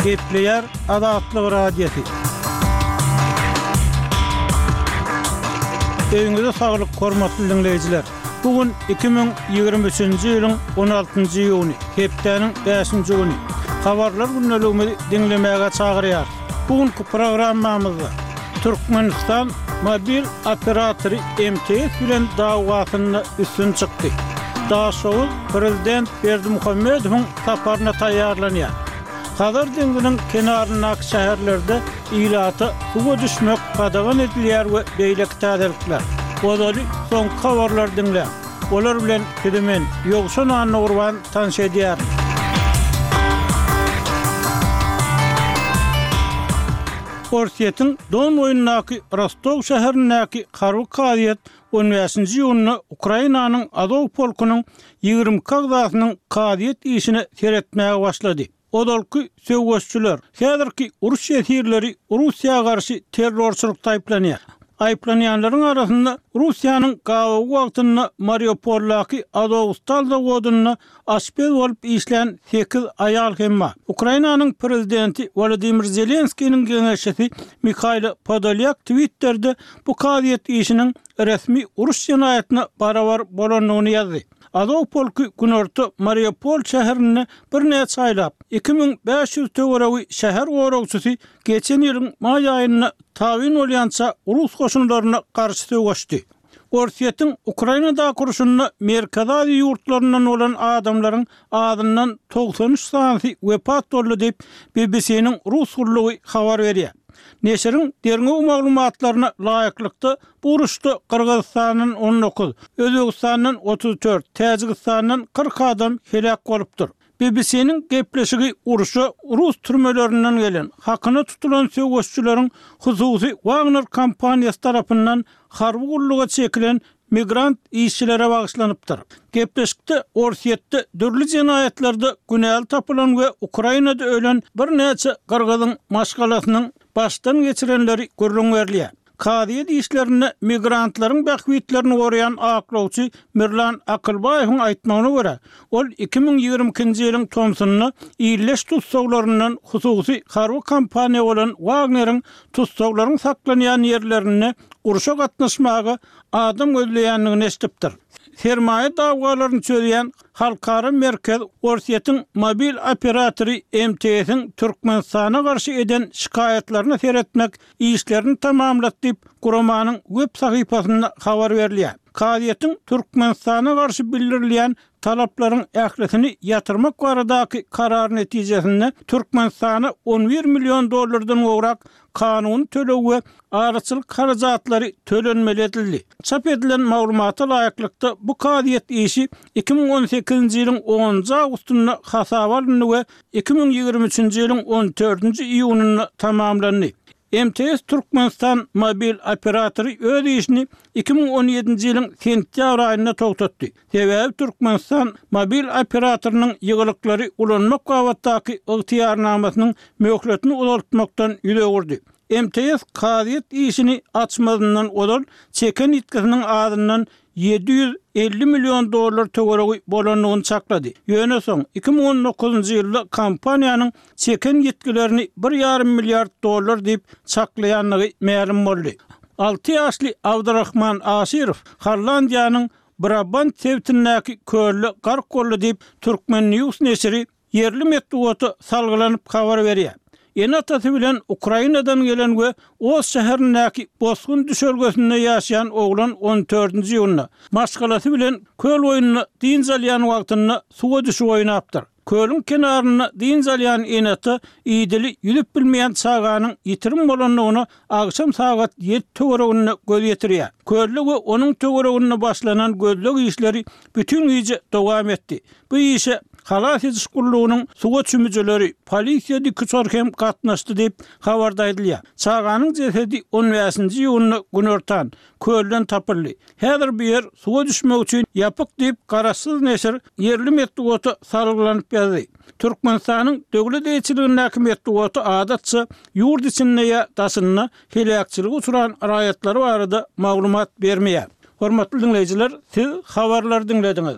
Gepleýär Azatlyk Radiosy. Öýüňize saglyk, hormatly diňleýjiler! Bu gün 2023-nji ýylyň 16-njy iýuny, hepdäniň bäşinji güni. Habarlar gündeligimizi diňlemäge çagyrýarys. Bu günki programmamyzda Türkmenistan mobil operatory MTS bilen dawasynda üstün çykdy. Daşoguz prezident Berdimuhamedowyň saparyna taýýarlanýar. Hazar deňziniň kenaryndaky şäherlerde ilata suwa düşmek gadagan edilýär we beýleki täzelikler. Ozaly soňky habarlary diňläň. Olar bilen sizi men, Ýowşan Annagurban tanyş edýärin. Orsýetiň Don boýundaky Rostow şäherindäki harby kazyýet on bäşinji iýunda Ukrainanyň Azow polkunyň 22 agzasynyň kazyýet işine seretmäge başlady. Ozalky söweşçiler, häzirki uruş ýesirleri Russiýa garşy terrorçylykda aýyplanýar. Aýyplanýanlaryň arasynda Russiýanyň gabawy wagtynda Mariupoldaky Azowstal zawodynda aşpez bolup işlän sekiz aýal hem bar. Ukrainanyň prezidenti Wolodymyr Zelenskiniň geňeşçisi Mihailo Podolýak Twitterde bu kazyýet işiniň resmi uruş jenaýatyna barabar bolandygyny ýazdy. Azow polky günorta Mariupol şäherinde birnäçe aýlap, 2500 töweregi şäher goragçysy geçen ýylyň maý aýynda tabyn bolýança rus goşunlaryna garşy söweşdi. Orsýetiň Ukrainadaky urşunda Merkezi Aziýa ýurtlaryndan bolan adamlaryň azyndan 93 sanysy wepat boldy diýip, BBC-niň rus gullugy habar berýär. Neşiriň derňew maglumatlaryna laýyklykda, bu uruşda Gyrgyzystandan 19, Özbegistandan 34, Täjigistandan 40 adam heläk bolupdyr. BBC-niň gepleşigi urşa rus türmelerinden gelen, hakyna tutulan söweşçileriň hususy Wagner kompaniýasy tarapyndan harby gulluga çekilen migrant işçilere bagyşlanypdyr. Gepleşikde Orsýetde dürli jenaýatlarda günäli tapylan we Ukrainada ölen birnäçe gyrgyzyň maşgalasynyň başdan geçirenleri gürrüň berilýär. Kazyýet işlerinde migrantlaryň bähbitlerini goraýan aklawçy Mirlan Akylbaýewiň aýtmagyna görä, ol 2022-nji ýylyň tomsunda illeş tussaglaryndan hususy harby kompaniýa bolan Wagneriň tussaglaryň saklanýan ýerlerinde urşa gatnaşmaga adam gözleýändigini eşidipdir. Sermaýa dawalaryny çözýän halkara merkez Orsýetiň mobil operatory MTS-iň Türkmenistana garşy eden şikaýatlaryna seretmek işlerini tamamlady diýip, guramanyň web sahypasynda habar berilýär. Kazyýetiň Türkmenistana garşy bildirilýän talaplaryň ählisini ýatyrmak baradaky karary netijesinde Türkmenistana 11 million dollardan gowrak kanuny töleg we araçylyk harajatlary tölenmeli edildi. Çap edilen maglumata laýyklykda, bu kazyýet işi 2018-nji ýylyň onunjy awgustynda hasaba alyndy we 2023-nji ýylyň on dördünji iýunynda tamamlandy. MTS Türkmenistan mobil operatory öz işini 2017-nji ýylyň sentýabr aýynda togtatdy. Sebäbi Türkmenistan mobil operatorynyň ýygylyklary ulanmak babatdaky ygtyýarnamasynyň möhletini uzaltmakdan ýüz öwürdi. MTS kazyýet işini açmazyndan ozal çeken ýitgisiniň azyndan 750 million dollar töweregi bolandygyny çaklady. Ýöne soň, 2019-njy ýylda kompaniýanyň çeken ýitgilerini bir ýarym milliard dollar diýip çaklaýandygy mälim boldy. Alty ýaşly Abdurahman Aşyrow Hollandiýanyň Brabant sebitindäki kölde gark boldy diýip, Turkmen. News neşiri ýerli metbugata salgylanyp habar berýär. Ene-atasy bilen Ukrainadan gelen we Oş şäherindäki bosgun düşelgesinde ýaşaýan oglan on dördünji iýunda maşgalasy bilen köl boýunda dynç alýan wagtynda suwa düşüp oýnapdyr. Kölüň kenarynda dynç alýan ene-ata idili ýüzüp bilmeýän çaganyň ýitirim bolandygyna agşam sagat ýedi töwereginde göz ýetirýär. Kölde we onuň töwereginde başlanan gözleg işleri bütin gije dowam etdi. Bu işe Halas ediş gullugynyň suwa çümüjileri, polisiýa dikuçary hem gatnaşdy diýip, habarda aýdylýar. Çaganyň jesedi on bäşinji iýunda günortan, kölden tapyldy. Häzir bu ýer suwa düşmek üçin ýapyk diýip, garaşsyz neşir ýerli metbugata salgylanyp ýazdy. Türkmenistanyň döwlet eýeçiligindäki metbugaty adatça ýurt içinde ýa daşynda heläkçilige uçran raýatlary barada maglumat bermeýär. Hormatly diňleýjiler, siz habarlary diňlediňiz.